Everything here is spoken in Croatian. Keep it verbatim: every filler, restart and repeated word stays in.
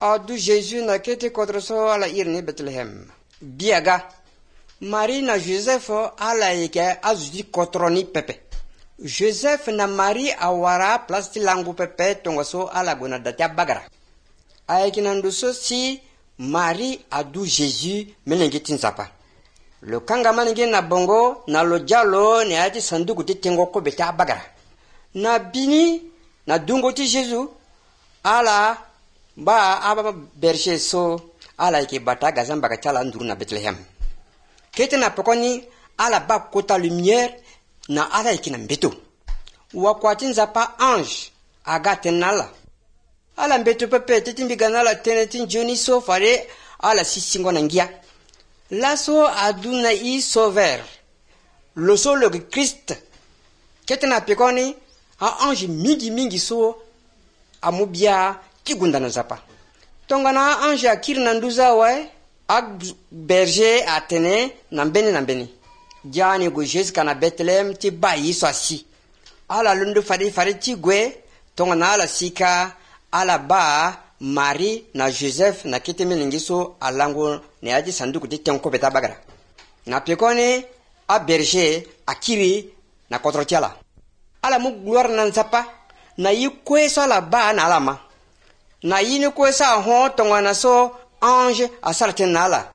adu Jésus na kete kotroso ala irni Bethlehem. Biaga. Marie na Joseph ala yeke azuji kotroni pepe. Joseph na Marie awara plasti langu pepe tongoso ala gona datia bagara. Ayeki nanduso si Marie adu Jésus melengetin zapa. Lo kanga manenge na bongo na lo jalo ne ati sanduku ti tengo ko beta bagara. Na bini na dungo ti Jésus ala ba aba berger so ala ke bata gazamba ka chala nduru na Bethlehem. Kete na pokoni ala ba kota lumière na ala ikina mbeto. Wakwati nzapa ange aga tenala. Ala mbeto pepe titimbi ganala tenetin joni so fare ala sisingo na ngia. Laso aduna i sauveur. Lo so le Christ. Kete na pekoni a ange mingi mingi so amubia kigunda na zapa. Tongana ange akiri na nduza we ag berger atene nambeni nambeni. Jani go Jésus kana Bethlehem ti ba yiso asi. Ala lundu fari fari ti gwe tongana ala sika ala ba Marie na Joseph na kete melingiso alango ne aji sanduku ti tenko beta bagara. Na pekone a berger akiri na kotrotiala. Ala mu gloire na nzapa na yi kwesa la ba na alama. Na yi ni kwesa ho tongana so ange asarte na ala.